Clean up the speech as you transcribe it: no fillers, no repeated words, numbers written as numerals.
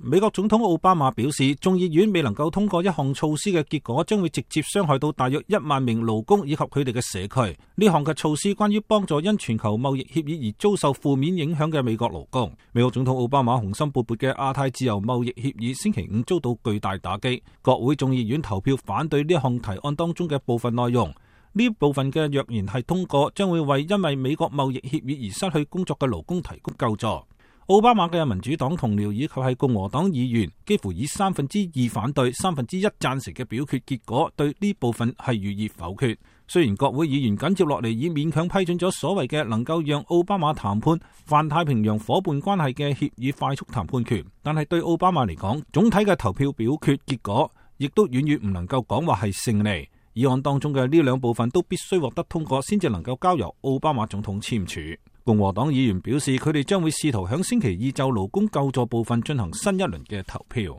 美國總統奧巴馬表示，眾議院未能夠通過一項措施嘅結果，將會直接傷害到大約1萬名勞工以及佢哋嘅社區。呢項嘅措施關於幫助因全球貿易協議而遭受負面影響嘅美國勞工。美國總統奧巴馬雄心勃勃嘅亞太自由貿易協議星期五遭到巨大打擊，國會眾議院投票反對呢項提案當中嘅部分內容。呢部分嘅若然係通過，將會為因為美國貿易協議而失去工作嘅勞工提供救助。奧巴馬嘅民主黨同僚以及係共和黨議員幾乎以2/3反對、1/3贊成嘅表決結果，對呢部分係予以否決。雖然國會議員緊接落嚟已勉強批准咗所謂嘅能夠讓奧巴馬談判泛太平洋夥伴關係嘅協議快速談判權，但係對奧巴馬嚟講，總體嘅投票表決結果亦都遠遠唔能夠講話係勝利。議案當中嘅呢兩部分都必須獲得通過，先至能夠交由奧巴馬總統簽署。共和黨議員表示，佢哋將會試圖響星期二就勞工救助部分進行新一輪嘅投票。